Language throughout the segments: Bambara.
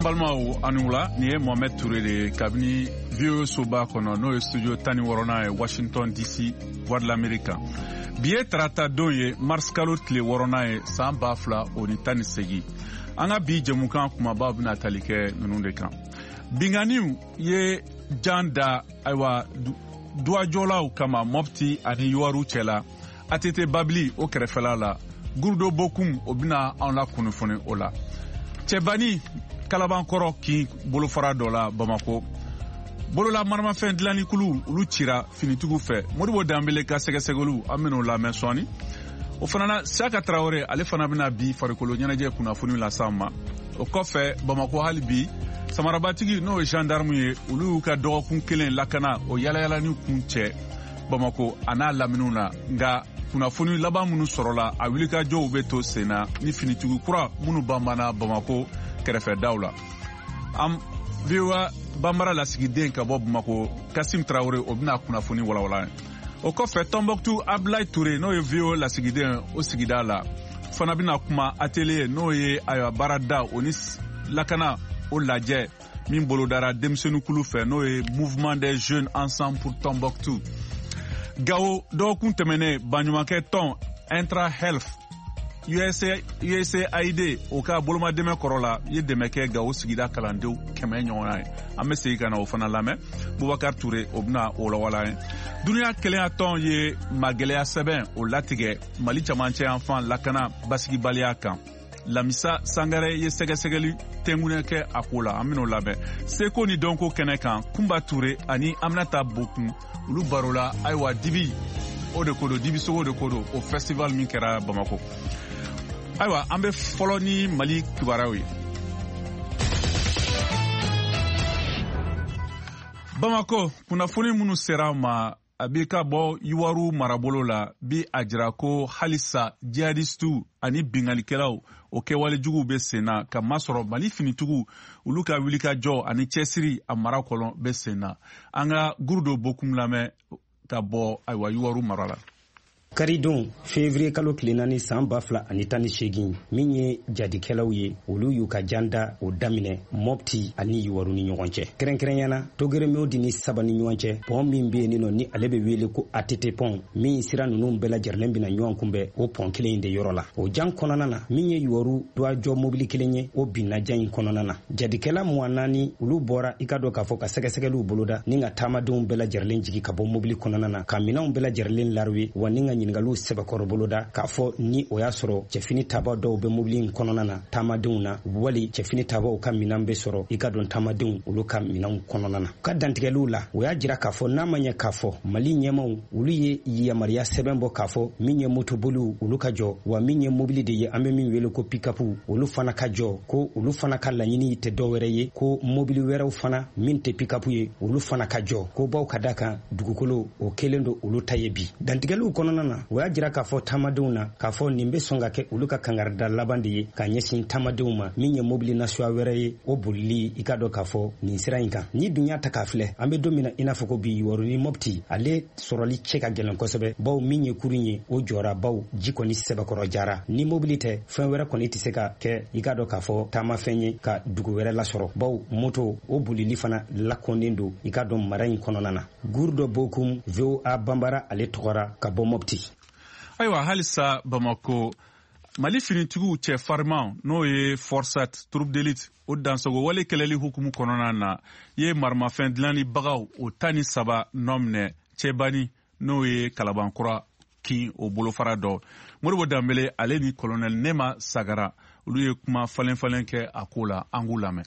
Balimaw, aw ni wula. Nin ye Mohamed Touré de ye kabini VOA soba kɔnɔ, n'o ye studio 16nan ye, Washington DC, Voix de l'Amérique kan. Bi ye tarata don ye, mars kalo tile 6nan ye, san 2018. An ka bi jɛmukan kumabaw bɛna tali kɛ ninnu de kan: binganiw ye jan da, ayiwa, duwajɔlaw kama Mɔpti ani Yuwaru cɛla, ATT Babili o kɛrɛfɛla la. Gurudo Bokum, o bɛna anw la kunnafoni o la. Cɛbani Kalabankɔrɔ kin bolofara dɔ la Bamako, bolola maramafɛn dilannikulu, olu cira finitigiw fɛ. Modibo Danbele ka sɛgɛsɛgɛliw, an ben'o lamɛn sɔɔni. O fana na, Siyaka Tarawele, ale fana bɛna bi farikolo ɲɛnajɛ kunnafoni las'an ma. O kɔfɛ, Bamako hali bi, samarabatigi, n'o ye gendarme ye, olu y'u ka dɔgɔkun kelen lakana o yalayalani kun cɛ Bamako a n'a laminiw na. Nka kunnafoni laban minnu sɔrɔla, a wulikajɔw bɛ to sen na ni finitigi kura minnu banbanna Bamako kɛrɛfɛdaw la. An VOA Banbara lasigiden ka bɔ Bamako, Kasim Tarawele, o bɛna kunnafoni walawala. O kɔfɛ, Tɔnbɔkutu, Abulayi Ture, n'o ye VOA lasigiden o sigida la, fana bɛna kuma atelier, n'o ye ayiwa baarada o ni lakana o lajɛ min bolodara denmisɛnninkulu fɛ, n'o ye Mouvement des jeunes ensemble pour Tombouctou. Gawo, dɔgɔkun tɛmɛnen, baɲumankɛ tɔn Intra Health USAID o ka bolomadɛmɛ kɔrɔ la ye dɛmɛ kɛ Gawo sigida kalandenw 100 ɲɔgɔnna ye. An bɛ segin ka na o fana lamɛn. Bubakar Ture, o bɛna o lawala ye. Duniya kelenya tɔn ye magɛlɛya sɛbɛn o latigɛ Mali camancɛ yanfan lakana basigibaliya kan. Lamisa Sangare ye sɛgɛsɛgɛli tɛnkunɛ kɛ a ko la, an ben'o labɛn. Seko ni dɔnko kɛnɛ kan, Kunba Ture ani Aminata Bokun, olu barola, ayiwa, dibi o de ko don, dibisogo de ko don, o festival min kɛra Bamako. Ayiwa, an bɛ fɔlɔ ni Mali kibaruyaw ye. Bamako, kunnafoni minnu sera an ma a bɛ ka bɔ Yuwaru marabolo la bi, a jira ko halisa jihadistiw ani bingalikɛlaw o kɛwale juguw bɛ sen na, ka masɔrɔ Mali finitigiw, olu ka wulikajɔ ani cɛsiri a mara kɔnɔ bɛ sen na. An ka Gurudo Bokum lamɛn ka bɔ, ayiwa, Yuwaru mara la. Karidon, fevrier kalo tile 4, san 2018, min ye jadikɛlaw ye, olu y'u ka janda o daminɛ Mɔpti ani Yuwaru ni ɲɔgɔn cɛ, kɛrɛnkɛrɛnyana Togeremodi ni saba ni ɲɔgɔn cɛ, pɔn min bɛ yen nɔ ni ale bɛ wele ko ATT pɔn, min sira ninnu bɛɛ lajɛrɛlen bɛna ɲɔgɔn kunbɛn o pɔn kelen in de yɔrɔ la. O jan kɔnɔna na, min ye Yuwaru duwajɔ mobili kelen ye, o binna jan in kɔnɔna na. Jadikɛla 24, olu bɔra, i ka dɔn k'a fɔ, ka sɛgɛsɛgɛliw boloda ni ka taamadenw bɛɛ lajɛrɛlen jigi ka bɔ mobili kɔnɔna na, ka minɛnw bɛɛ lajɛrɛlen lariwe, wa ni ka ɲininkaliw sɛbɛkɔrɔ boloda k'a fɔ ni o y'a sɔrɔ cɛfini taba dɔw bɛ mobili in kɔnɔna na taamadenw na, wali cɛfini tabaw ka minɛn bɛ sɔrɔ, i ka dɔn, taamadenw olu ka minɛnw kɔnɔna na. Ka dantigɛliw la, o y'a jira k'a fɔ n'a ma ɲɛ k'a fɔ Mali ɲɛmaw, olu ye yamaruya sɛbɛn bɔ k'a fɔ min ye motoboliw, olu ka jɔ, wa min ye mobili de ye, an bɛ min wele ko pikapu, olu fana ka jɔ, ko olu fana ka laɲini tɛ dɔwɛrɛ ye ko mobili wɛrɛw fana min tɛ pikapu ye, olu fana ka jɔ, ko baw ka da kan dugukolo o kelen don olu ta ye bi. Dantigɛliw kɔnɔna na, o y'a jira k'a fɔ taamadenw na k'a fɔ nin bɛ sɔn ka kɛ olu ka kangarida laban de ye ka ɲɛsin taamadenw ma, min ye mobili nasuya wɛrɛ ye o bolili, i ka dɔn k'a fɔ, nin sira in kan. Ni dun y'a ta k'a filɛ, an bɛ don min na i n'a fɔ ko bi, Yuwaru ni Mɔpti, ale sɔrɔli cɛ ka gɛlɛn kosɛbɛ, baw min ye kurun ye o jɔra, baw ji kɔni sɛbɛkɔrɔ jara. Ni mobili tɛ, fɛn wɛrɛ kɔni tɛ se ka kɛ, i ka dɔn k'a fɔ, taamafɛn ye ka dugu wɛrɛ lasɔrɔ, baw moto o bolili fana lakɔnnen don, i ka dɔn, mara in kɔnɔna na. Gurudo Bokum, VOA Banbara ale tɔgɔra ka bɔ Mɔpti. Ayiwa, halisa Bamako, Mali finitigiw cɛ fariman, n'o ye FORSAT, troupe d'élite, o dansago wale kɛlɛli hukumu kɔnɔna na, ye maramafɛn dilanni-bagaw o 13 nɔ minɛ Cɛbani, n'o ye Kalabankura kin o bolofara dɔ. Modibo Danbele, ale ni colonel Nema Sagara, olu ye kuma falen falen kɛ a ko la. An k'u lamɛn.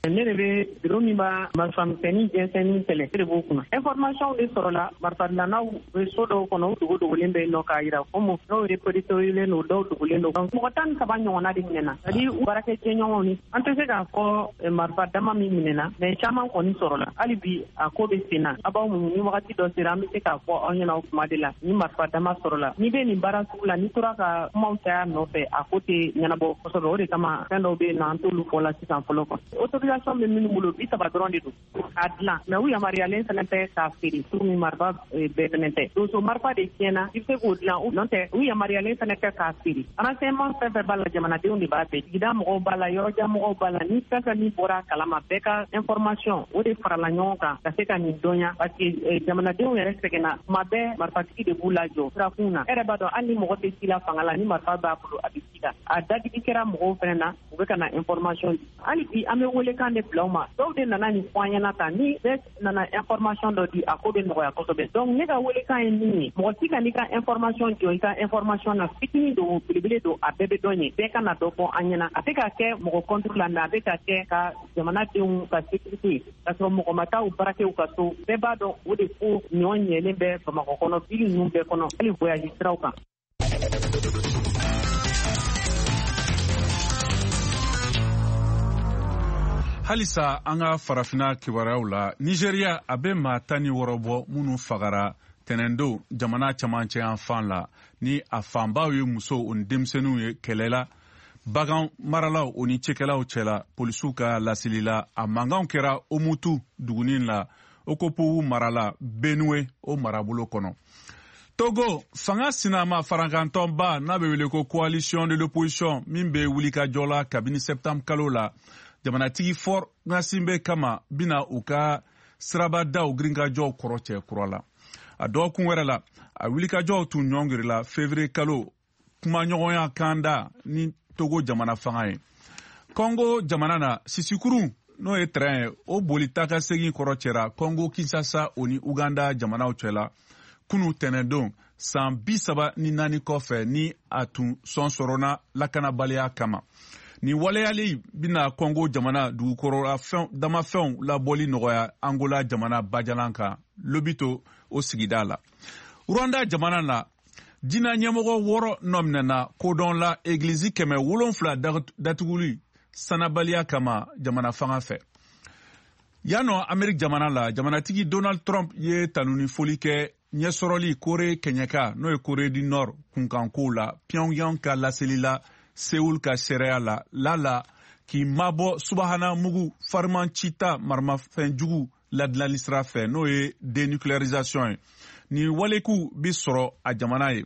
Ne de bɛ biro min b'a marifamisɛnnin jɛnsɛnni kɛlɛ, ne de b'o kunna. Information de sɔrɔla, marifadilannaw bɛ so dɔw kɔnɔ, u dogo dogolen bɛ yen nɔ, k'a yira komi dɔw répertoriélen don, dɔw dogolen don. Mɔgɔ 13 ɲɔgɔnna de minɛna, c'est à dire u baarakɛ jɛɲɔgɔnw. Ni an tɛ se k'a fɔ marifa dama min minɛna, mais caman kɔni sɔrɔla. Hali bi a ko bɛ sen na, a b'aw muɲu, ni wagati dɔ sera, an bɛ se k'a fɔ aw ɲɛna o kuma de la ni marifa dama sɔrɔla. N'i bɛ nin baara sugu la, n'i tora ka kumaw caya nɔfɛ, a ko tɛ ɲɛnabɔ kosɛbɛ. O de kama fɛn dɔw bɛ yen nɔ, an t'olu fɔ la sisan fɔlɔ. Kɔnɔ autorisation Autorisation bɛ minnu bolo 30 dɔrɔn de don k'a dilan, mais u yamaruyalen fana tɛ k'a feere komi marifa bɛɛ fana tɛ. Donso marifa de tiɲɛna, i bɛ se k'o dilan, n'o tɛ u yamaruyalen fana tɛ k'a feere. Renseignement fɛn fɛn b'a la, jamanadenw de b'a bɛɛ, sigida mɔgɔw b'a la, yɔrɔjan mɔgɔw b'a la, ni fɛn fɛn min bɔra a kalama, bɛɛ ka information o de farala ɲɔgɔn kan ka se ka nin dɔnya, parce que jamanadenw yɛrɛ sɛgɛnna tuma bɛɛ, marifatigi de b'u lajɔ sirakun na. E yɛrɛ b'a dɔn, hali ni mɔgɔ tɛ ci la fanga la, ni marifa b'a bolo a bɛ ci la. A dadigi kɛra mɔgɔw fana na, u bɛ ka na information di. Hali bi an bɛ welekan de bila u ma, dɔw de nana nin fɔ an ɲɛna tan, ni bɛɛ nana information dɔ di, a ko bɛ nɔgɔya kosɛbɛ. Donc ne ka welekan ye min ye, mɔgɔ si ka n'i ka information jɔ i ka information na, fitinin don belebele don, a bɛɛ bɛ dɔn ye, bɛɛ ka na dɔ fɔ an ɲɛna. A tɛ ka kɛ mɔgɔ contre la, mais a bɛ ka kɛ ka jamanadenw ka sécurité, k'a sɔrɔ mɔgɔ ma taa u barakɛ u ka so. Bɛɛ b'a dɔn o de ko ɲɔ ɲɛlen bɛ Bamakɔ kɔnɔ, ville ninnu bɛɛ kɔnɔ, hali voyage siraw kan. Halisa an ka farafina kibaruyaw la, Nigeria, a bɛ maa 16 bɔ minnu fagara tɛnɛndon jamana camancɛ yan fan la, ni a fanbaw ye musow o ni denmisɛnninw ye, kɛlɛ la bagan maralaw o ni cikɛlaw cɛla. Polisiw ka laseli la, a mankanw kɛra Omutu dugunin la, Okopowu mara la, Benue o marabolo kɔnɔ. Togo, fanga sinama farankantɔnba n'a bɛ wele ko Coalition de l'opposition, min bɛ wulikajɔ la kabini septembre kalo la jamanatigi Faure Gnassingbé kama, bɛna u ka sirabadaw girinkajɔw kɔrɔ cɛ kura la. A dɔgɔkun wɛrɛ la, a wulikajɔw tun ɲɔngirila février kalo kumaɲɔgɔnya kanda ni Togo jamana fanga ye. Kɔngo jamana na, sisikurun n'o ye train ye, o boli taa ka segin kɔrɔ cɛra Kɔngo Kinshasa o ni Uganda jamanaw cɛla kunu tɛnɛndon, san 34 kɔfɛ ni a tun sɔn sɔrɔna lakanabaliya kama. Nin waleyali bɛna Kɔngo jamana dugukɔrɔla damafɛnw labɔli nɔgɔya Angola jamana bajalan kan, Lobito o sigida la. Rwanda jamana na, diinɛ ɲɛmɔgɔ 6 nɔminɛna kodɔn la egilizi 700 datuguli sanabaliya kama jamana fanga fɛ. Yan nɔ, Ameriki jamana la, jamanatigi Donald Trump ye tanuni foli kɛ ɲɛsɔrɔli Kore kɛɲɛka, n'o ye Corée du Nord kunkankow la, Pyongyang ka laseli la Seoul ka seereya la lala k'i mabɔ subahana mugu fariman cita maramafɛnjugu ladilanli sira fɛ, n'o ye dénucléarisation ye. Nin waleku bi sɔrɔ a jamana ye.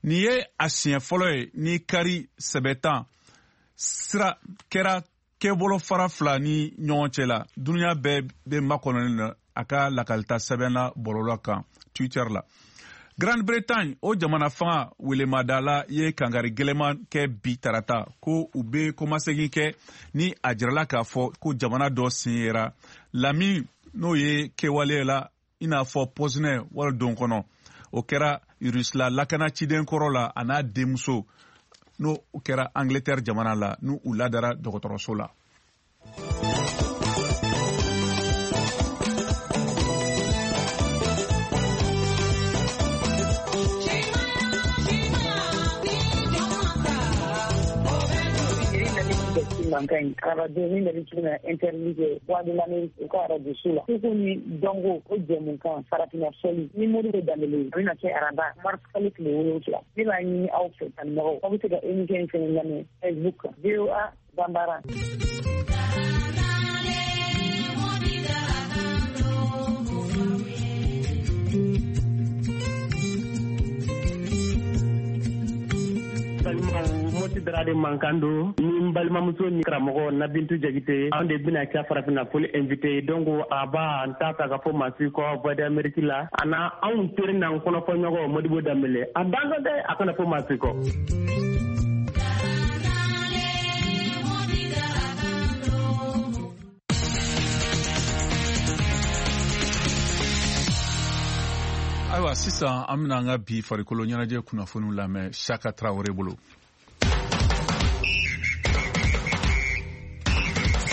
Nin ye a siɲɛ fɔlɔ ye ni kari sɛbɛtan sira kɛra kɛbolo fara fila ni ɲɔgɔn cɛ la. Duniya bɛɛ bɛ makɔnɔni na a ka lakalita sɛbɛn na bɔlɔlɔ kan, Twitter la. Grande Bretagne o jamana fanga welemadala ye kankari gɛlɛman kɛ bi tarata ko u bɛ kɔmasegin kɛ ni a jirala k'a fɔ ko jamana dɔ sen yera lamini, n'o ye kɛwale la i n'a fɔ pɔsinɛ wali don kɔnɔ, o kɛra Rusila lakana ciden kɔrɔ la, a n'a denmuso, n'o kɛra Angleterre jamana la, n'u u ladara dɔgɔtɔrɔso la. Mankan in arajo min bɛ cogo na interview kɛ Voix de l'Amérique, u ka arajo so la, seko ni dɔnko o jɛmukan farafinna fɔli ni Modibo Danbele, a bɛna kɛ araba mars kalo tile 7. Ne b'a ɲini aw fɛ, kanubagaw, aw bɛ se ka émission in fɛnɛ lamɛn Facebook kan, VOA Banbara. Balimaw, Moti Darade mankan don ni n balimamuso ni karamɔgɔ Nabintu Jagite. Anw de bɛna kɛ farafinna foli invité ye. Donc a b'a n t'a ta ka fɔ maa si kɔ Voix d'Amérique la, a na anw teri n'an kɔnɔfɔɲɔgɔn Modibo Danbele, a danso dɛ, a kana fɔ maa si kɔ. Ayiwa, sisan an bɛna an ka bi farikolo ɲɛnajɛ kunnafoniw lamɛn Saka Tarawele bolo.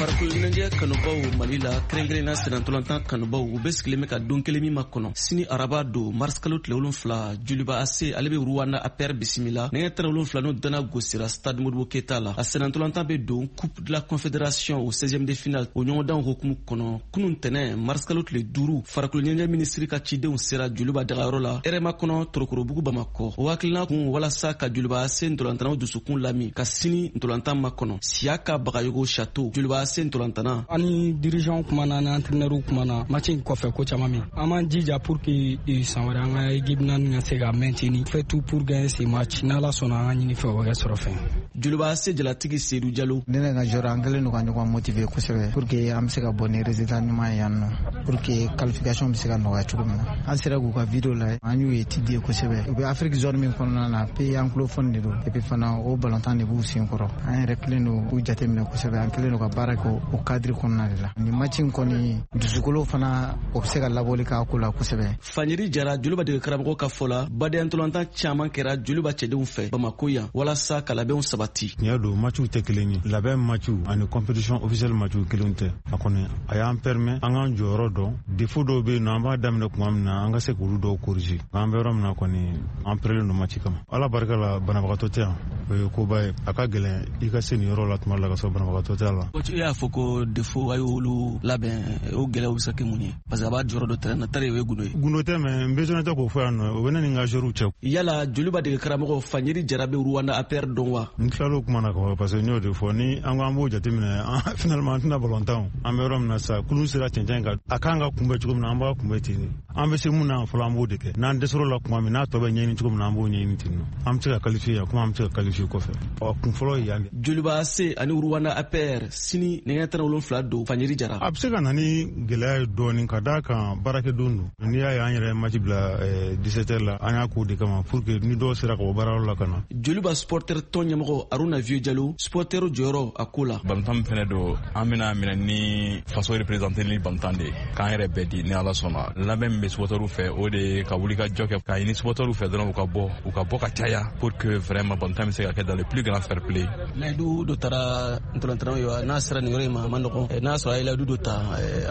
Farikolo ɲɛnajɛ kanubaw Mali la, kɛrɛnkɛrɛnna sennantolatan kanubaw, u bɛ sigilen bɛ ka don kelen min makɔnɔ sini araba don mars kalo tile 7, Joliba AC ale bɛ Rwanda APR bisimila nɛgɛ 17 n'o dana gosira stade Modibo Keyita la. A sennantolatan bɛ don Coupe de la Confédération au 16e de finale o ɲɔgɔndanw hukumu kɔnɔ. Kunun tɛnɛ mars kalo tile 5, farikolo ɲɛnajɛ minisiri ka cidenw sera Joliba dagayɔrɔ la rma kɔnɔ, Torokorobugu, Bamakɔ. O hakilina kun walasa ka Joliba AC ntolantannaw dusukun lami ka sini ntolantan makɔnɔ. Siyaka Bagayogo Chateau, Joliba. AC ntolantana. Ani dirigeant kumana, ni entraîneur kumana match in kɔfɛ ko caman min. An b'an jija pour que san wɛrɛ an ka équipe naani ka se ka maintenir. Fait tout pour gagner ce match. N'Ala sɔnna, an ka ɲini fɛ o bɛ kɛ sɔrɔ fɛn. Joliba AC jalatigi Seydou Jalo. Ne ka joueur, an kɛlen don ka ɲɔgɔn motiver kosɛbɛ pour que an bɛ se ka bɔ ni résultat ɲuman ye yan nɔ, pour que qualification bɛ se ka nɔgɔya cogo min na. An sera k'u ka vidéo lajɛ, an y'u étudier kosɛbɛ. U bɛ Afrique zone min kɔnɔna na, pays anglophone de don, et puis fana o balontan de b'u sen kɔrɔ. An yɛrɛ kɛlen don k'u jateminɛ kosɛbɛ, an kɛlen don ka baara kɛ o cadre kɔnɔna de la. Nin match in kɔni, dusukolo fana, o bɛ se ka labɔli k'a ko la kosɛbɛ. Fanyeri Jara, Joliba dege karamɔgɔ ka fɔ la, badenya ntolatan caman kɛra Joliba cɛdenw fɛ Bamako yan walasa ka labɛnw sabati. Tiɲɛ don, matchiw tɛ kelen ye. Labɛn matchiw ani compétition officielle matchiw kelen tɛ. A kɔni a y'an permet an k'an jɔyɔrɔ dɔn. Défaut dɔw bɛ yen nɔ, an b'a daminɛ tuma min na, an ka se k'olu dɔw corriger. An bɛ yɔrɔ min na kɔni, an pɛrɛlen don match kama. Ala barika la, banabagatɔ tɛ yan, o ye koba ye. A ka gɛlɛn i ka se nin yɔrɔ la tuma dɔ la ka sɔrɔ banabagatɔ tɛ a la. Coach, e y'a fɔ ko défaut, a y'olu labɛn, o gɛlɛyaw bɛ se ka kɛ mun ye? Parce que a b'a jɔyɔrɔ dɔ terrain na, tari o ye gundo ye. Gundo tɛ, mais n besoin tɛ k'o fɔ yan nɔ, o bɛ ne ni n ka joueurs cɛ. Yala Joliba dege karamɔgɔ Fanyeri Jara bɛ Rwanda APR dɔn wa? N tilal'o kuma na ka ban, parce que n y'o de fɔ, ni an ko an b'o jateminɛ, finalement an tɛna balontan. An bɛ yɔrɔ min na sisan, kulun sera cɛncɛn kan, a kan ka kunbɛ cogo min na, an b'a kunbɛ ten de. An bɛ se mun na fɔlɔ, an b'o de kɛ. N'an dɛsɛr'o la tuma min, n'a tɔ bɛ ɲɛɲini cogo min na, an b'o ɲɛɲini ten nɔ. An bɛ se ka qualifier yan komi an bɛ se ka qualifier kɔfɛ. Ɔ, kun fɔlɔ ye yan de. Joliba AC ani Rwanda APR sini nɛgɛ 17 don. Fanyeri Jara. A bɛ se ka na ni gɛlɛya ye dɔɔnin, ka d'a kan baarakɛdon don. N'i y'a ye an yɛrɛ match bila 17 heures la, an y'a k'o de kama pour que ni dɔw sera ka bɔ baarayɔrɔ la ka na. Joliba supporter tɔn ɲɛmɔgɔ Aruna Vieux Jalo, supporter jɔyɔrɔ a ko la. Balontan min fɛnɛ don, an bɛna minɛ ni faso représenté ni balontan de ye, k'an yɛrɛ bɛɛ di ni Ala sɔnna. Labɛn min bɛ supporterw fɛ, o de ye ka wuli ka jɔ kɛ, k'a ɲini supporterw fɛ dɔrɔn, u ka bɔ, u ka bɔ ka caya, pour que vraiment balontan bɛ se ka kɛ dans le plus grand fair play. Layidu dɔ taara ntolantanaw ye wa? N'a sera nin yɔrɔ in ma, a ma nɔgɔn. N'a sɔrɔ a ye layidu dɔ ta,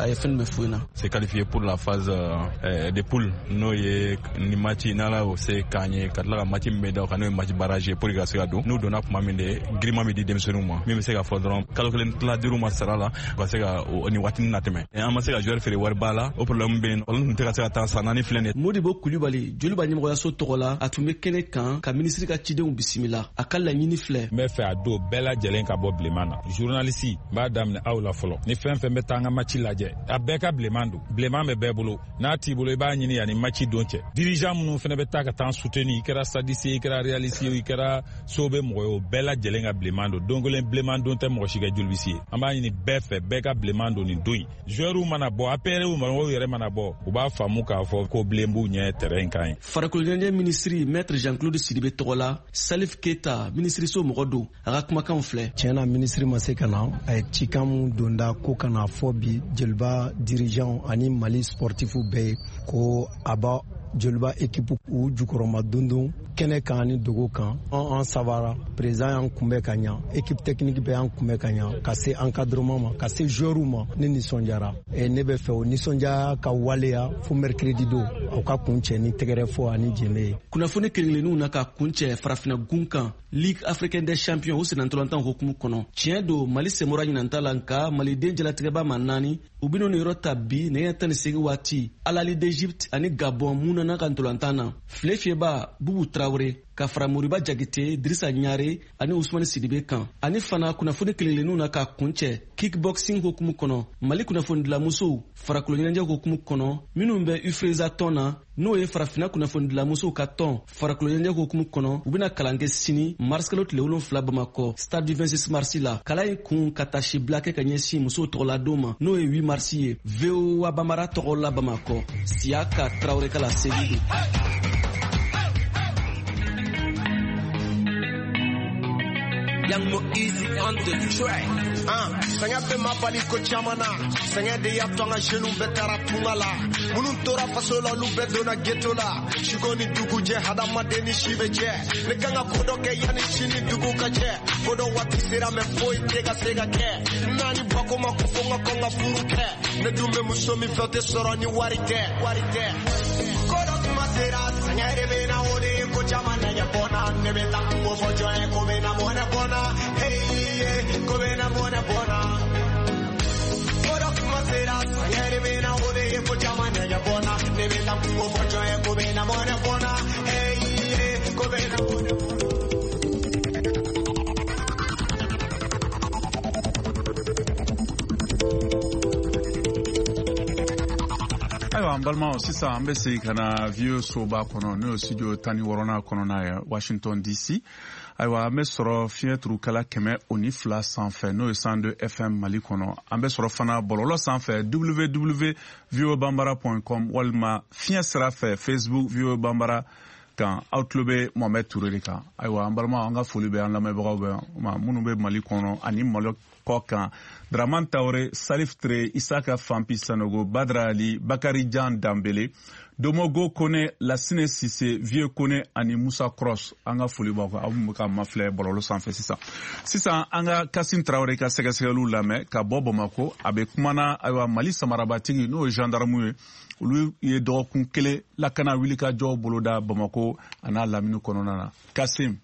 a ye fɛn jumɛn f'u ɲɛna? Se qualifier pour la phase de poule, n'o ye ni match n'Ala y'o se k'an ye, ka tila ka match min bɛ da o kan, n'o ye match barrage, pour que ka se ka don. N'u donna tuma min de, giriman bɛ di denmisɛnninw ma, min bɛ se ka fɔ dɔrɔn kalo kelen tila duuru ma sara la, u ka se ka nin waatinin natɛmɛ. An ma se ka joueur feere wariba la, o problème bɛ yen, olu tun tɛ ka se ka taa san 4 filɛ nin ye. Modibo Kulibali, Joliba ɲɛmɔgɔyaso tɔgɔ la, a tun bɛ kɛnɛ kan ka minisiri ka cidenw bisimila. A ka laɲini filɛ. N bɛ fɛ a don bɛɛ lajɛlen ka bɔ bilenman na. Journaliste, n b'a daminɛ aw la fɔlɔ. Ni fɛn fɛn bɛ taa an ka match lajɛ, a bɛɛ ka bilenman don. Bilenman bɛ bɛɛ bolo, n'a t'i bolo, i b'a ɲini yanni match don cɛ. Dirigeant minnu fana bɛ taa ka taa soutenir, i kɛra stadiste ye, i kɛra réaliste ye, i kɛra so bɛ mɔgɔ ye, o bɛɛ lajɛlen ka bilenman don. Don kelen bilenman don tɛ mɔgɔ si kɛ jolibisi ye. An b'a ɲini bɛɛ fɛ, bɛɛ ka bilenman don nin don in. Joueurs mana bɔ, APR mɔgɔw yɛrɛ mana bɔ, u b'a faamu k'a fɔ ko bilen b'u ɲɛ terrain kan ye. Farikolo ɲɛnajɛ minisiri Maître Jean-Claude Sidibe tɔgɔ la, Salif Keita, minisiriso mɔgɔ don, a ka kumakanw filɛ. Tiɲɛ na, minisiri ma se ka na. A ye cikan mun donda ko ka na fɔ bi Joliba dirigeant ani Mali sportifu bɛɛ ye, ko a b'a Joliba équipe u jukɔrɔma dondon kɛnɛ kan ani dogo kan. An sabara, président y'an kunbɛ ka ɲa, équipe technique bɛɛ y'an kunbɛ ka ɲa, ka se encadrement ma, ka se joueurs ma. Ne nisɔndiyara. Ne bɛ fɛ o nisɔndiya ka waleya fo mercredi don, aw ka kun cɛ ni tɛgɛrɛ fɔ ani jenbe ye. Kunnafoni kelen-kelenninw na ka kun cɛ farafinna gun kan, Ligue africaine des champions, o sennantolatan hukumu kɔnɔ, tiɲɛ don, Mali senbɔra ɲinanta la, nka maliden jalatigɛba ma naani, u bɛn'o niyɔrɔ ta bi nɛgɛ 18 waati, Al Ahly d'Égypte ani Gabon mun nana ka ntolantan na. File fiyɛba Bubu Tarawele ka fara Moriba Jakite, Dirisa Ɲare ani Usumani Sidibe kan. Ani fana kunnafoni kelenkelenninw na ka kuncɛ, kickboxing hukumu kɔnɔ, Mali kunnafonidilamusow farakolo ɲɛnajɛ hukumu kɔnɔ, minnu bɛ UFRESA tɔn na, n'o ye farafinna kunnafonidilamusow ka tɔn farakolo ɲɛnajɛ hukumu kɔnɔ, u bɛna kalan kɛ sini mars kalo tile 7 Bamakɔ, stade du 26 mars la. Kalan in kun ka taasibila kɛ ka ɲɛsin musow tɔgɔladon ma, n'o ye 8 mars ye. VOA Bamara tɔgɔ la Bamakɔ, Siyaka Tarawele ka laseli don. Young Mo Easy on the track. Sɛgɛn bɛ ma bali ko caman na. Sɛgɛn de y'a to an ka jeunes bɛɛ taara tunga la. Minnu tora faso la, olu bɛɛ donna ghetto la. Siko ni dugu jɛ, hadamaden ni si bɛ jɛ. Ne kan ka ko dɔ kɛ yanni sini dugu ka jɛ. Ko dɔ waati sera, mɛ foyi tɛ ka se ka kɛ. Naani bako ma ko fo n ka kɔn ka furu kɛ. Ne dun bɛ muso min fɛ, o tɛ sɔrɔ ni wari tɛ. Wari tɛ. Ko dɔ kuma sera, sɛgɛn de bɛ na, o de ye ko caman nɛgɛ bɔ n na. Ne bɛ taa kungo fɔ jɔn ye ko bɛ na mɔnɛ bɔ n na. Hey, yeah, ko bɛ na mɔnɛ bɔ n na. Ko dɔ kuma sera, sɛgɛn de bɛ na, o de ye ko caman nɛgɛ bɔ n na. Ne bɛ taa kungo fɔ jɔn ye ko bɛ na mɔnɛ bɔ n na. Hey, yeah, ko bɛ na mɔnɛ bɔ n na. Ayiwa, an balimaw, sisan an bɛ segin ka na VOA soba kɔnɔ, n'o ye studio 16nan kɔnɔna ye, Washington DC. Ayiwa, an bɛ sɔrɔ fiɲɛ turukala 102 sanfɛ, n'o ye 102 FM Mali kɔnɔ. An bɛ sɔrɔ fana bɔlɔlɔ sanfɛ, www voabambara com, walima fiɲɛ sira fɛ, Facebook VOA Bambara kan. Aw tulo bɛ Mohamɛd Ture de kan. Ayiwa, an balimaw, an ka foli bɛ an lamɛnbagaw bɛ ma minnu bɛ Mali kɔnɔ ani Mali kɔ kan: Draman Tawore, Salif Ture, Isaka Fampi Sanogo, Badra Ali, Bakari Jan Danbele, Domogo Kone, Lasine Sise, Vieux Kone ani Musa Cross. An ka foli b'aw kan, aw minnu bɛ ka mafilɛ bɔlɔlɔ sanfɛ sisan. Sisan, an ka Kasim Tarawele ka sɛgɛsɛgɛliw lamɛn ka bɔ Bamako. A bɛ kumana, ayiwa, Mali samarabatigi, n'o ye gendarme ye, olu ye dɔgɔkun kelen lakana wulikajɔ boloda Bamako a n'a lamini kɔnɔna na. Kasim.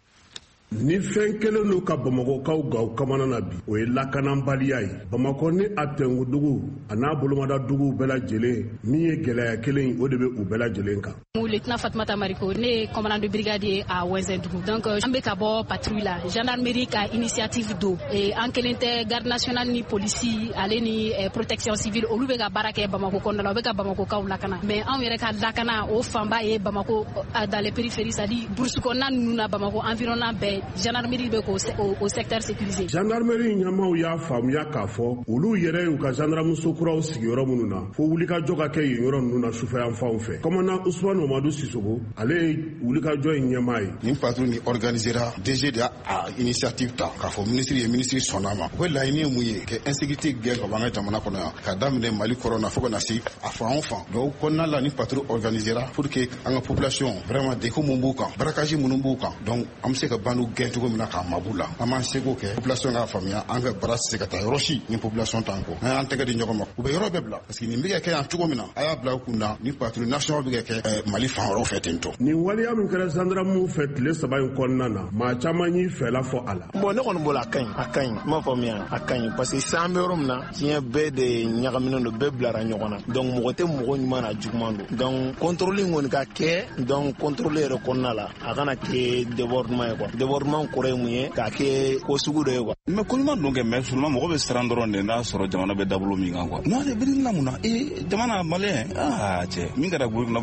Ni fɛn kelen don ka Bamakɔkaw gaw kamana na bi, o ye lakanabaliya ye. Bamakɔ ni a tɛnkudugu a n'a bolomadaduguw bɛɛ lajɛlen, min ye gɛlɛya kelen, o de bɛ u bɛɛ lajɛlen kan. Lieutenant Fatoumata Mariko, ne ye commandant de brigade ye à Wɛnzɛndugu. Donc an bɛ ka bɔ patrouille la. Gendarmerie ka initiative don, an kelen tɛ, garde nationale ni polisi ale ni protection civile, olu bɛ ka baara kɛ Bamako kɔnɔna la, u bɛ ka Bamakokaw lakana. Mais anw yɛrɛ ka lakana, o fanba ye Bamako dans les périphéries, c'est à dire brousse kɔnɔna ninnu na, Bamako environnant bɛɛ, gendarmerie bɛ k'o secteur sécurisé. Gendarmerie ɲɛmaaw y'a faamuya k'a fɔ olu yɛrɛ y'u ka gendarmeso kuraw sigi yɔrɔ minnu na, fo wulikajɔ ka kɛ yen yɔrɔ ninnu na sufɛyanfanw fɛ. Commandant Usman Mamadu Sisoko, ale ye wulikajɔ in ɲɛmaa ye. Nin patrouille ni organisera, DG de y'a initiative ta k'a fɔ ministre ye, ministre sɔnna ma. U ka laɲini ye mun ye? Ka insécurité gɛn ka bɔ an ka jamana kɔnɔ yan, ka daminɛ Mali kɔrɔ na fo ka na se a fan o fan. Donc kɔnɔna la, ni patrouille organisera pour que an ka population vraiment, degun mun b'u kan, braquage minnu b'u kan, donc an bɛ se ka bandiw gɛn cogo min na k'a mabu la. An b'an seko kɛ population k'a faamuya, an ka baara tɛ se ka taa yɔrɔ si ni population t'an kɔ. N'an y'an tɛgɛ di ɲɔgɔn ma, u bɛ yɔrɔ bɛɛ bila, parce que nin bɛ ka kɛ yan cogo min na, a y'a bila u kun na ni patrouille nationale bɛ ka kɛ Mali fan wɛrɛw fɛ ten tɔ. Nin waleya min kɛra gendarmew fɛ tile 3 in kɔnɔna na, maa caman y'i fɛla fɔ a la. Bon, ne kɔni bolo, a ka ɲi, a ka ɲi, n m'a faamuya, a ka ɲi, parce que sisan an bɛ yɔrɔ min na, diɲɛ bɛɛ de ɲagaminen don, bɛɛ bilara ɲɔgɔn na. Donc mɔgɔ tɛ mɔgɔ ɲuman na juguman don. Donc contrôle in kɔni ka kɛ, donc contrôle yɛrɛ kɔnɔna la, a kana kɛ débordement ye quoi. Débordement kɔrɔ ye mun ye? K'a kɛ ko sugu dɔ ye quoi. Mais ko ɲuman don kɛ, mais seulement mɔgɔ bɛ siran dɔrɔn de n'a sɔrɔ jamana bɛ dabolo min kan quoi. Non, ale bɛ na mun na? Ee, jamana malien, aa cɛ, min kɛra Burukina,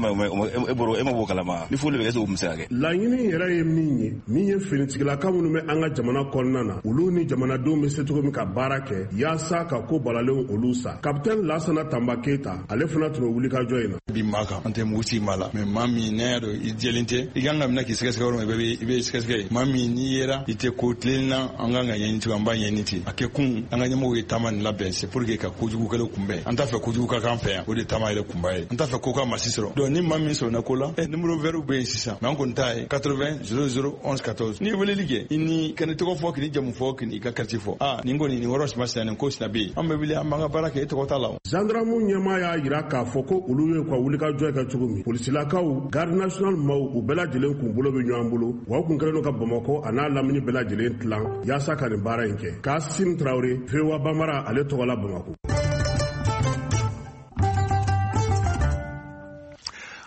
e bɔra, e ma bɔ kalama ni foli bɛ kɛ, o bɛ se ka kɛ. Laɲini yɛrɛ ye min ye, min ye finitigilaka minnu bɛ an ka jamana kɔnɔna na, olu ni jamanadenw bɛ se cogo min ka baara kɛ yaasa ka ko balalenw olu sa. Capitaine Lasana Tanba Keyita, ale fana tun bɛ wulikajɔ in na. Bi maa kan, an tɛ mugu ci maa la, mais maa min n'a y'a dɔn i jɛlen tɛ, i kan ka minɛ k'i sɛgɛsɛgɛ yɔrɔ min, i bɛ sɛgɛsɛgɛ yen. Maa min n'i yera i tɛ ko tilen na, an kan ka ɲɛɲini cogo, an b'a ɲɛɲini ten. A kɛ kun, an ka ɲɛmɔgɔw ye taama nin labɛn, c'est pour que ka kojugukɛlaw kunbɛn. An t'a fɛ kojugu ka k'an fɛ yan, o de taama yɛrɛ kunba ye. An t'a fɛ ko ka masi sɔrɔ. Donc ni maa min sɔrɔna ko la, numéro vert bɛ yen sisan, mais an kɔni t'a ye 80 00 11 14. N'i ye weleli kɛ, i ni ka ni tɔgɔ fɔ, k'i jamu fɔ, k'i ka quartier fɔ, aa nin kɔni nin yɔrɔ sima sina, nin ko sina bɛ yen, an bɛ wuli, an b'an ka baara kɛ, e tɔgɔ t'a la. Gendarme ɲɛmaa y'a yira k'a fɔ ko olu ye ka wulikajɔ kɛ cogo min, polisilakaw, garde nationale maaw, u bɛɛ lajɛlen kun bolo bɛ ɲɔgɔn bolo wa, u kun kɛlen don ka Bamakɔ a n'a lamini bɛɛ lajɛlen tilan yaasa ka nin baara in kɛ. Kasim Tarawele, VOA Bambara ale tɔgɔ la, Bamako.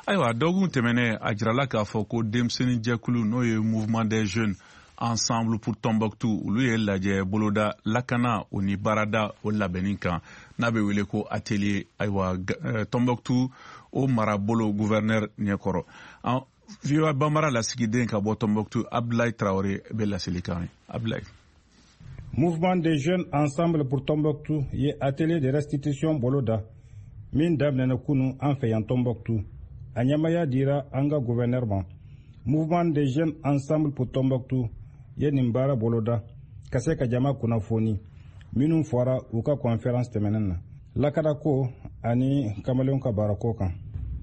Ayiwa, dɔgɔkun tɛmɛnen, a jirala k'a fɔ ko denmisɛnnin jɛkulu, n'o ye Mouvement des jeunes ensemble pour Tombouctou, olu ye lajɛ boloda lakana o ni baarada o labɛnni kan, n'a bɛ wele ko atelier. Ayiwa, Tombouctou o marabolo gouverneur ɲɛkɔrɔ, VOA Bambara lasigiden ka bɔ Tombouctou, Abdoulaye Traoré, bɛ laseli kan ye. Abdoulaye. Mouvement des jeunes ensemble pour Tombouctou ye atelier de restitution boloda min daminɛna kunu an fɛ yan Tombouctou. A ɲɛmaya dira an ka gouverneur ma. Mouvement des jeunes ensemble pour Tombouctou ye nin baara boloda ka se ka jama kunnafoni minnu fɔra u ka conférence tɛmɛnen na, lakanako ani kamalenw ka baarako kan.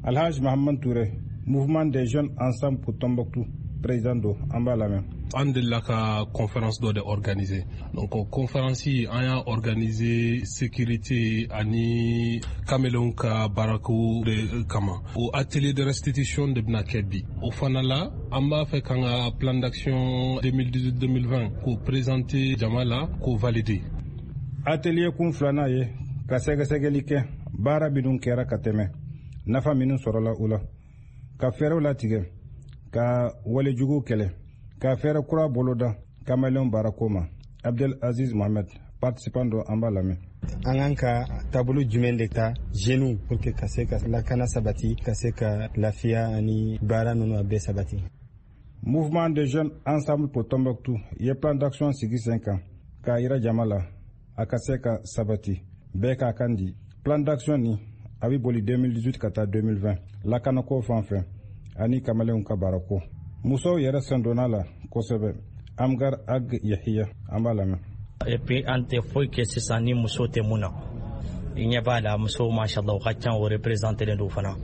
Alhaj Mahamad Touré, Mouvement des jeunes ensemble pour Tombouctou président do, an b'a lamɛn. An delila ka conférence dɔ de organiser. Donc conférence, an y'a organiser sécurité ani kamelenw ka baarako de kama. O atelier de restitution de bɛna kɛ bi. O fana la, an b'a fɛ k'an ka plan d'action 2018-2020 k'o présenter jama la, k'o valider. Atelier kun filanan ye ka sɛgɛsɛgɛli kɛ baara minnu kɛra ka tɛmɛ, nafa minnu sɔrɔla u la, ka fɛɛrɛw latigɛ ka walejugu kɛlɛ, ka fɛɛrɛ kura boloda kamalenw baarako ma. Abdel Aziz Mohamed, participant do, an b'a lamɛn. An kan ka taabolo jumɛn de ta jeunes pour que ka se ka lakana sabati, ka se ka lafiya ani baara ninnu a bɛɛ sabati. Mouvement des jeunes Ensemble pour Tombouctou ye plan d'action sigi sen kan k'a yira jama la, a ka se ka sabati, bɛɛ k'a kan di. Plan d'action ni a bɛ boli 2018 ka taa 2020, lakanako fan fɛ ani kamalenw ka baarako. Musow yɛrɛ sen donna la kosɛbɛ. Amgar Ag Yahiya, an b'a lamɛn. Et puis an tɛ foyi kɛ sisan ni muso tɛ mun na. I ɲɛ b'a la, musow, mashallah, u ka ca, o représenté don fana.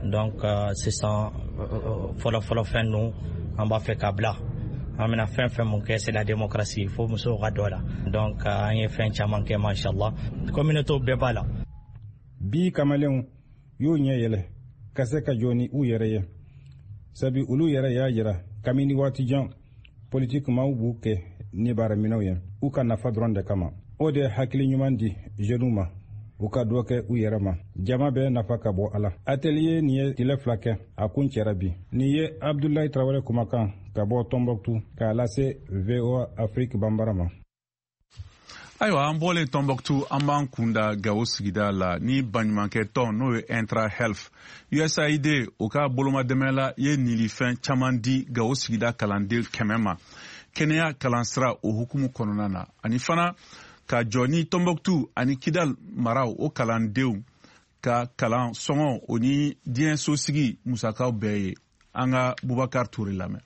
Donc sisan, fɔlɔ fɔlɔ fɛn ninnu, an b'a fɛ k'a bila. An bɛna fɛn fɛn mun kɛ, c'est la démocratie, fo musow ka dɔ la. Donc an ye fɛn caman kɛ, mashallah, communauté bɛɛ b'a la. Bi kamalenw y'u ɲɛ yɛlɛ ka se ka jɔ ni u yɛrɛ ye, sabi olu yɛrɛ y'a jira kabini waati jan, politiki maaw b'u kɛ ni baaraminɛw ye u ka nafa dɔrɔn de kama. O de ye hakili ɲuman di jeunes ma, u ka dɔ kɛ u yɛrɛ ma, jama bɛɛ nafa ka bɔ a la. Atelier nin ye tile 2 kɛ, a kun cɛra bi. Nin ye Abdulayi Tarawele kumakan ka bɔ Tombouctou k'a lase VOA Afrique Banbara ma. Ayiwa, an bɔlen Tombouctou, an b'an kunda Gawo sigida la ni baɲumankɛ tɔn, n'o ye Intra Health, USAID, o ka bolomadɛmɛ la, ye nilifɛn caman di Gawo sigida kalanden 100 ma kɛnɛya kalansira o hukumu kɔnɔna na, ani fana ka jɔ ni Tombouctou ani Kidal maraw o kalandenw ka kalan sɔngɔ, o ni diɲɛ sosigi musakaw bɛɛ ye. An ka Bubakar Ture lamɛn.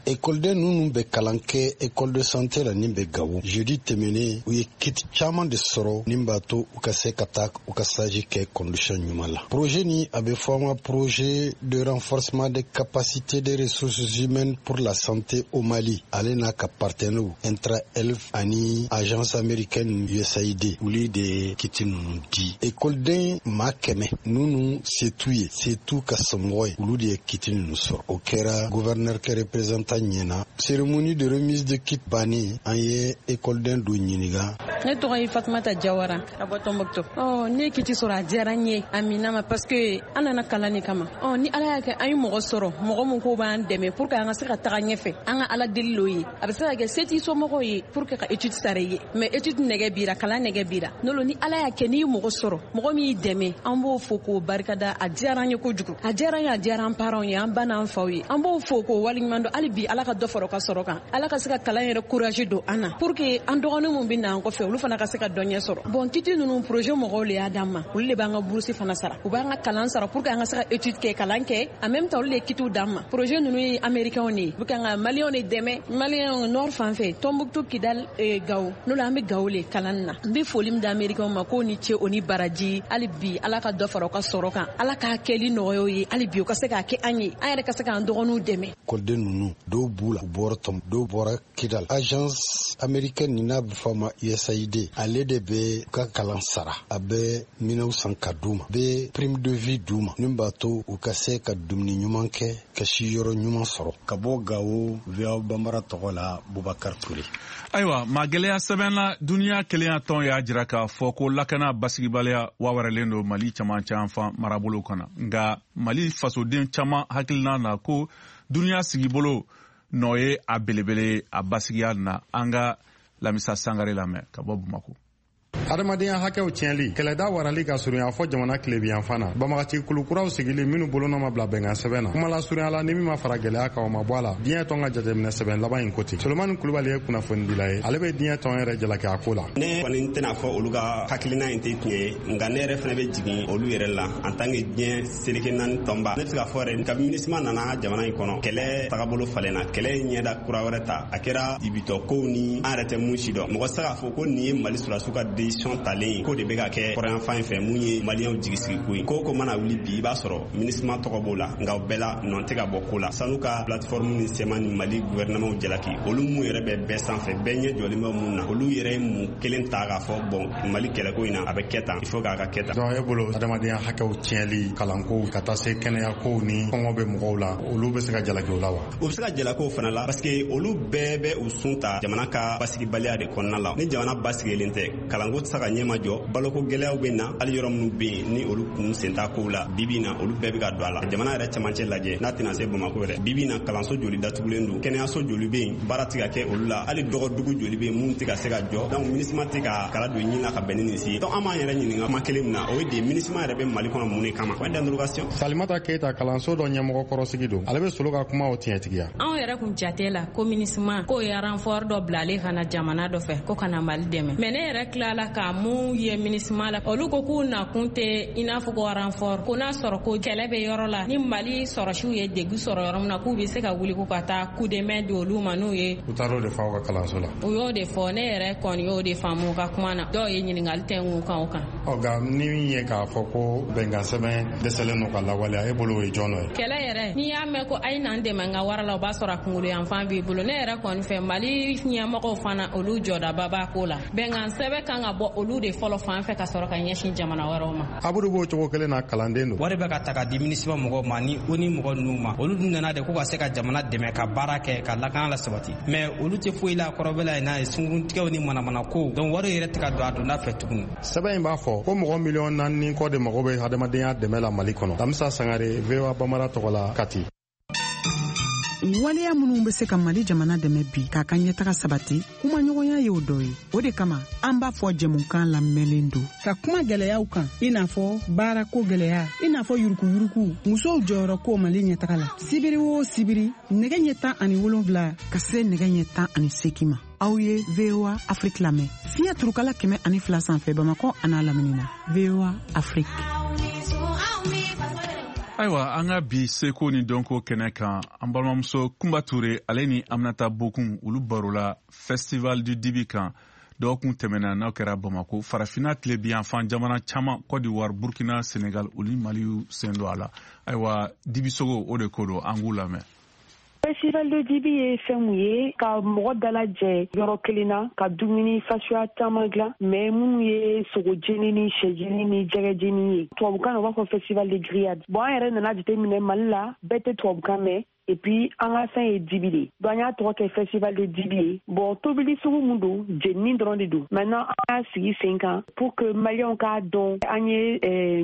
Ekɔliden ninnu bɛ kalan kɛ école de santé la nin bɛ Gawo. Jeudi tɛmɛnen, u ye kit caman de sɔrɔ nin b'a to u ka se ka taa u ka stage kɛ condition ɲuman la. Projet ni a bɛ fɔ an ma projet de renforcement des capacités des ressources humaines pour la santé au Mali. Ale n'a ka partenaires Intra Health ani agence américaine USAID, olu de ye kit ninnu di. Ekɔliden maa 100 ninnu se t'u ye, se t'u ka somɔgɔ ye, olu de ye kit ninnu sɔrɔ. O kɛra gouverneur kɛ représentant ɲɛna. Cérémonie de remise de kit bannen, an ye ekɔliden dɔ ɲininka. Ne tɔgɔ ye Fatumata Jawara ka bɔ Tombouctou. Ɔ, ne ye kit sɔrɔ, a diyara n ye, a minna ma, parce que an nana kalan de kama. Ɔ, ni Ala y'a kɛ an ye mɔgɔ sɔrɔ, mɔgɔ min ko b'an dɛmɛ pour que an ka se ka taga ɲɛfɛ, an ka Ala deli l'o ye. A bɛ se ka kɛ se t'i somɔgɔw ye pour que ka étude sara i ye, mais étude nɛgɛ bira, kalan nɛgɛ bira. N'o ni Ala y'a kɛ n'i ye mɔgɔ sɔrɔ, mɔgɔ min y'i dɛmɛ, an b'o fo k'o barikada. A diyara an ye kojugu, a diyara an ye, a diyara an parents ye, an ba n'an faw ye. An b'o fo k'o waleɲuman dɔn. Hali bi, Ala ka dɔ fara u ka sɔrɔ kan, Ala ka se ka kalan yɛrɛ courage don an na pour que an dɔgɔnin mun bɛ na an kɔfɛ, olu fana ka se ka dɔ ɲɛ sɔrɔ. Bon, kit ninnu, projet mɔgɔw le y'a d'an ma. Olu de b'an ka bourse fana sara, u b'an ka kalan sara pour que an ka se ka étude kɛ, kalan kɛ. En même temps, olu de ye kitiw d'an ma. Projet ninnu ye américains de ye, u bɛ kan ka maliyɛnw de dɛmɛ, maliyɛnw nord fan fɛ, Tombouctou, Kidal, Gawo. N'o la, an bɛ Gawo le kalan na. N bɛ foli min di américains ma, k'o ni ce, o ni baraji. Hali bi, Ala ka dɔ fara u ka sɔrɔ kan, Ala k'a kɛli nɔgɔya u ye. Hali bi, u ka se k'a kɛ an ye, an yɛrɛ ka se k'an dɔgɔninw dɛmɛ. Ekɔliden ninnu, dɔw b'u la, u bɔra Tɔm, dɔw bɔra Kidal. Agence américaine nin n'a bɛ fɔ a ma USAID, ale de bɛ u ka kalan sara, a bɛ minɛnw san ka d'u ma, bɛ prime de vie d'u ma min b'a to u ka se ka dumuni ɲuman kɛ, ka si yɔrɔ ɲuman sɔrɔ. Ka bɔ Gawo, VOA Banbara tɔgɔ la, Bubakar Ture. Ayiwa, magɛlɛya sɛbɛn na, duniya kelenya tɔn y'a jira k'a fɔ ko lakana basigibaliya wawarɛlen don Mali camancɛ yanfan marabolo kɔnɔ. Nka Mali fasoden caman hakilina na ko duniya sigibolo nɔ ye a belebele a basigiya na. An ka Lamisa Sangare lamɛn ka bɔ Bamako. Adamadenya hakɛw tiɲɛli, kɛlɛda warali ka surunya fɔ jamana tilebiyanfan na, banbagaci kulukuraw sigili minnu bolonɔ ma bila bɛnkan sɛbɛn na, kumala surunya la, ni min ma fara gɛlɛya kan, o ma bɔ a la. Diɲɛ tɔn ka jateminɛ sɛbɛn laban in ko ten. Solomani Kulubali ye kunnafonidila ye, ale bɛ diɲɛ tɔn yɛrɛ jalaki a ko la. Ne kɔni tɛna fɔ olu ka hakilina in tɛ tiɲɛ ye, nka ne yɛrɛ fana bɛ jigin olu yɛrɛ la en tant que diɲɛ seleke naani tɔnba. Ne bɛ se k'a fɔ yɛrɛ, kabi MINUSMA nana jamana in kɔnɔ, kɛlɛ tagabolo falenna, kɛlɛ ye ɲɛda kura wɛrɛ ta. A kɛra ibitɔ kow ni an yɛrɛ tɛ mun si dɔn. Mɔgɔ tɛ se k'a fɔ ko nin ye Mali sɔrɔdasiw ka décision talen ko de bɛ ka kɛ kɔrɔyanfan in fɛ. Mun ye maliyɛnw jigi sigi ko ye, ko ko mana wuli bi, i b'a sɔrɔ MINUSMA tɔgɔ b'o la, nka o bɛɛ la nɔ tɛ ka bɔ ko la. Sanu ka plateforme ni CMA ni Mali gouvernement jalaki, olu mun yɛrɛ bɛ bɛɛ sanfɛ, bɛɛ ɲɛ jɔlen bɛ mun na, olu yɛrɛ ye mun kelen ta k'a fɔ bon, Mali kɛlɛko in na, a bɛ kɛ tan, il faut k'a ka kɛ tan. Donc e bolo, adamadenya hakɛw tiɲɛli, kalanko ka taa se kɛnɛyakow ni kɔngɔ bɛ mɔgɔw la, olu bɛ se ka jalaki o la wa? U bɛ se ka jalaki o fana la, parce que olu bɛɛ bɛ u sun ta jamana ka basigibaliya de kɔnɔna la. Ni jamana basigilen tɛ, kalanko tɛ se ka ɲɛma jɔ, baloko gɛlɛyaw bɛ na, hali yɔrɔ minnu bɛ yen ni olu kun sen t'a kow la, bibi na olu bɛɛ bɛ ka don a la. Jamana yɛrɛ cɛmancɛ lajɛ, n'a tɛna se Bamakɔ yɛrɛ, bibi na kalanso joli datugulen don, kɛnɛyaso joli bɛ yen baara tɛ ka kɛ olu la, hali dɔgɔdugu joli bɛ yen mun tɛ ka se ka jɔ. Donc MINUSMA tɛ ka kala don ɲin na ka bɛn ni nin si ye. Donc an b'an yɛrɛ ɲininka kuma kelen min na, o ye de MINUSMA yɛrɛ bɛ Mali kɔnɔ mun de kama? Point d'interrogation. Salimata Keyita kalanso dɔ ɲɛmɔgɔ kɔrɔsigi don, ale bɛ Solo ka kumaw tiɲɛtigiya. Anw yɛrɛ kun jate la ko MINUSMA k'o ye renfort dɔ bilalen ka na jamana dɔ fɛ ko ka na Mali dɛmɛ, mais ne yɛrɛ tilala ka mun ye MINUSMA la, olu ko k'u nakun tɛ i n'a fɔ ko renfort, ko n'a sɔrɔ ko kɛlɛ bɛ yɔrɔ la ni Mali sɔrɔsiw ye degun sɔrɔ yɔrɔ min na, k'u bɛ se ka wuli ko ka taa coup de main di olu ma n'u ye. U taar'o de fɔ aw ka kalanso la? U y'o de fɔ, ne yɛrɛ kɔni y'o de faamu ka kuma na. Dɔw ye ɲininkali tɛ n kan o kan. Ɔ nka ni min ye k'a fɔ ko bɛnkan sɛbɛn dɛsɛlen don ka lawaleya, e bolo o ye jɔn nɔ ye? Kɛlɛ yɛrɛ, n'i y'a mɛn ko a ye n'an dɛmɛ n ka wari la, o b'a sɔrɔ a kunkolo yanfan b'i bolo. Ne yɛrɛ kɔni fɛ, Mali ɲɛmɔgɔw fana olu jɔdaba b'a ko la. Bɛnkan sɛbɛn kan ka bɔ olu de fɔlɔ fan fɛ ka sɔrɔ ka ɲɛsin jamana wɛrɛw ma. Abudu b'o cogo kelen na, kalanden don. Wari bɛ ka ta ka di MINUSMA mɔgɔw ma ni ONU mɔgɔ ninnu ma, olu dun nana de ko ka se ka jamana dɛmɛ ka baara kɛ ka lakana la sabati, mais olu tɛ foyi la kɔrɔbɛla ye n'a ye sunkuruntigɛw ni manamanako. Donc wari yɛrɛ tɛ ka don a donda fɛ tuguni. Sɛbɛn in b'a fɔ ko mɔgɔ 4.5 miliyɔn kɔ de mago bɛ hadamadenya dɛmɛ la Mali kɔnɔ. Lamisa Sangare, VOA Bambara tɔgɔ la, Kati. Waleya minnu bɛ se ka Mali jamana dɛmɛ bi k'a ka ɲɛtaga sabati, kumaɲɔgɔnya y'o dɔ ye. O de kama an b'a fɔ jɛmukan lamɛnlen don ka kuma gɛlɛyaw kan, i n'a fɔ baarako gɛlɛya, i n'a fɔ yurukuyuruku, musow jɔyɔrɔ ko Mali ɲɛtaga la. Sibiri o sibiri, nɛgɛ ɲɛ 17 ka se nɛgɛ ɲɛ 18 ma, aw ye VOA Afrique lamɛn fiɲɛ turukala 102 sanfɛ, Bamakɔ an'a lamini na. VOA Afrique. Ayiwa, an ka bi seko ni dɔnko kɛnɛ kan, an balimamuso Kunba Ture ale ni Aminata Bokun, olu barola Festival du Dibi kan. Dɔgɔkun tɛmɛna n'aw kɛra Bamako, Farafina tilebiyanfan jamana caman, Côte d'Ivoire, Burkina, Sénégal, olu Mali sen don a la. Ayiwa, dibisogo o de ko don, an k'u lamɛn. Festival de Dibi ye fɛn mun ye? Ka mɔgɔ dalajɛ yɔrɔ kelen na, ka dumuni fasuya caman dilan, mais minnu ye sogo jeni ni sɛ jeni ni jɛgɛ jeni ye. Tubabukan na, u b'a fɔ festival de grillade. Bon, an yɛrɛ nana jateminɛ Mali la, bɛɛ tɛ tubabukan mɛn, et puis an ka fɛn ye dibi de, donc an y'a tɔgɔ kɛ festival de dibi ye. Bon, tobili sugu mun don, jenini dɔrɔn de don. Maintenant an y'a sigi sen kan pour que Maliyɛnw k'a dɔn an ye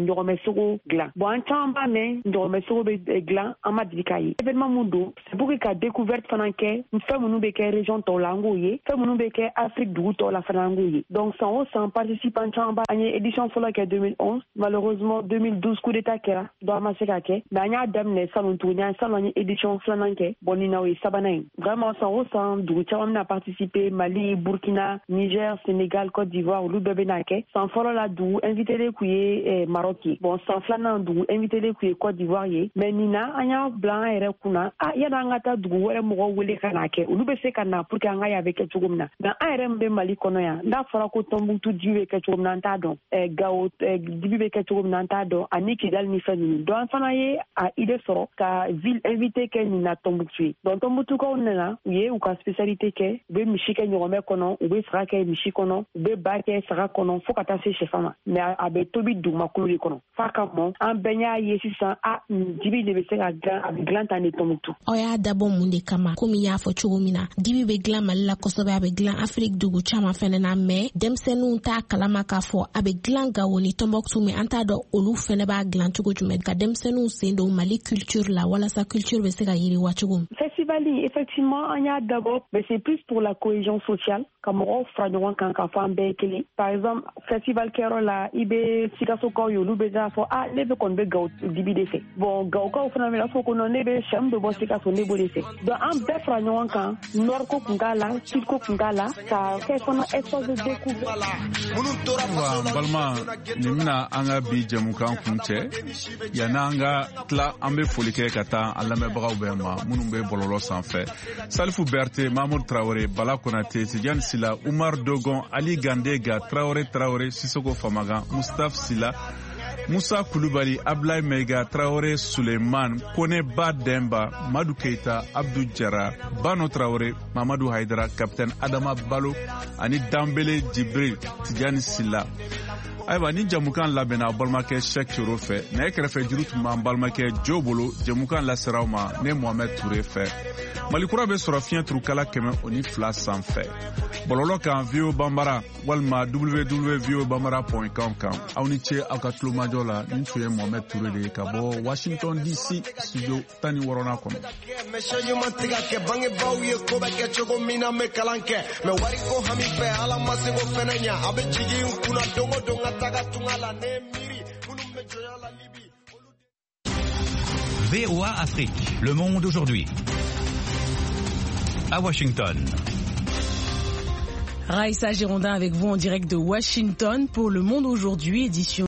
ɲɔgɔmɛ sogo dilan. Bon, an caman b'a mɛn ɲɔgɔmɛ sogo bɛ dilan, an ma deli k'a ye. Événement mun don, c'est pour que ka découverte fana kɛ, fɛn minnu bɛ kɛ région tɔw la, an k'o ye, fɛn minnu bɛ kɛ Afrique dugu tɔw la fana, an k'o ye. Donc san o san, participant caman ba. An ye édition fɔlɔ kɛ 2011, malheureusement 2012 coup d'état kɛra, donc an ma se ka kɛ, mais an y'a daminɛ salon tuguni. An salon an ye édition filanan kɛ. Bon, nin na o ye sabanan ye. Vraiment, san o san, dugu caman bɛna participer: Mali, Burkina, Niger, Sénégal, Côte d'Ivoire, olu bɛɛ bɛna kɛ. San fɔlɔ la, dugu invité kun ye Maroc ye. Bon, san filanan, dugu invité kun ye Côte d'Ivoire ye. Mais nin na, an y'a bila an yɛrɛ kunna, a yanni an ka taa dugu wɛrɛ mɔgɔw wele ka na kɛ, olu bɛ se ka na pour que an ka ye a bɛ kɛ cogo min na. Mais an yɛrɛ min bɛ Mali kɔnɔ yan, n'a fɔra ko Tɔnbukutu dibi bɛ kɛ cogo min na, an t'a dɔn. Gawo dibi bɛ kɛ cogo min na, an t'a dɔn, ani Kidali ni fɛn ninnu. Donc an fana ye a idée sɔrɔ ka ville invité kɛ nin na Tɔnbukutu ye. Donc Tɔnbukutukaw nana, u ye u ka spécialité kɛ. U bɛ misi kɛ ɲɔgɔmɛ kɔnɔ, u bɛ saga kɛ misi kɔnɔ, u bɛ ba kɛ saga kɔnɔ, fo ka taa se sɛfan ma, mais a bɛ tobi dugumakolo de kɔnɔ f'a ka mɔ. An bɛɛ y'a ye sisan, a dibi de bɛ se ka dilan, a bɛ dilan tan de Tɔnbukutu. Aw y'a dabɔ mun de kama? Komi y'a fɔ cogo min na, dibi bɛ dilan Mali la kosɛbɛ, a bɛ dilan Afiriki dugu caman fɛnɛ na, mais denmisɛnninw t'a kalama k'a fɔ a bɛ dilan Gawo ni Tɔnbɔkutu, mais an t'a dɔn olu fɛnɛ b'a dilan cogo jumɛn, ka denmisɛnninw sen don Mali culture la walasa culture bɛ se ka yiriwa cogo min. Festival, effectivement, an y'a dabɔ, mais c'est plus pour la cohésion sociale, ka mɔgɔw fara ɲɔgɔn kan k'a fɔ an bɛɛ ye kelen. Par exemple, festival kɛyɔrɔ la, i bɛ Sikasokaw ye, olu bɛ taa fɔ: "A, ne bɛ kɔni bɛ Gawo dibi de fɛ." Bon, Gawokaw fana bɛ fɔ ko: "Non, ne bɛ sɛ min bɛ bɔ Sikaso, ne b'o de fɛ." Donc an bɛɛ fara ɲɔgɔn kan, nord ko kun t'a la, sud ko kun t'a la, ka kɛ fana espace de découverte. Ayiwa, n balima, nin bɛna an ka bi jɛmukan kun cɛ. Yanni an ka tila, an bɛ foli kɛ ka taa an lamɛnbagaw bɛɛ ma minnu bɛ bɔlɔlɔ sanfɛ: Salifu Berete, Mamudu Tarawele, Bala Konate, Tijani Sila, Umar Dogon, Ali Gandega, Tarawele Tarawele, Sisoko Famagan, Mustapha Sila, Musa Kulubali, Ablaye Meiga, Traoré Suleiman, Kone Ba Demba, Madu Keita, Abdou Jara, Bano Traoré, Mamadou Haidara, Capitaine Adama Balo, ani Dambele Djibril, Tidiane Silla. Ayiwa, ni jamukan labɛnna aw balimakɛ Sɛk Coro fɛ. Nɛgɛ kɛrɛfɛ juru tun b'an balimakɛ Jo bolo. Jamukan lasera aw ma ne Mohamɛd Ture fɛ. Mali Kura bɛ sɔrɔ fiɲɛ turukala 102 sanfɛ, bɔlɔlɔ kan VOA Banbara walima www.voabambara.com kan. Aw ni ce aw ka tulomajɔ la. Nin tun ye Mohamɛd Ture de ye ka bɔ Washington DC, studio 16nan kɔnɔ. Mais changement tɛ ka kɛ. Bangebaaw ye ko bɛ kɛ cogo min na, n bɛ kalan kɛ, mais wariko hami fɛ, Ala ma se ko fɛnɛ ɲa. A bɛ jigin n kunna don o don ka taga tunga la. Ne ye miiri minnu bɛ jɔnya la Libi. VOA Afrique, le monde aujourd'hui. À Washington. Raïssa Girondin avec vous en direct de Washington pour Le Monde aujourd'hui, édition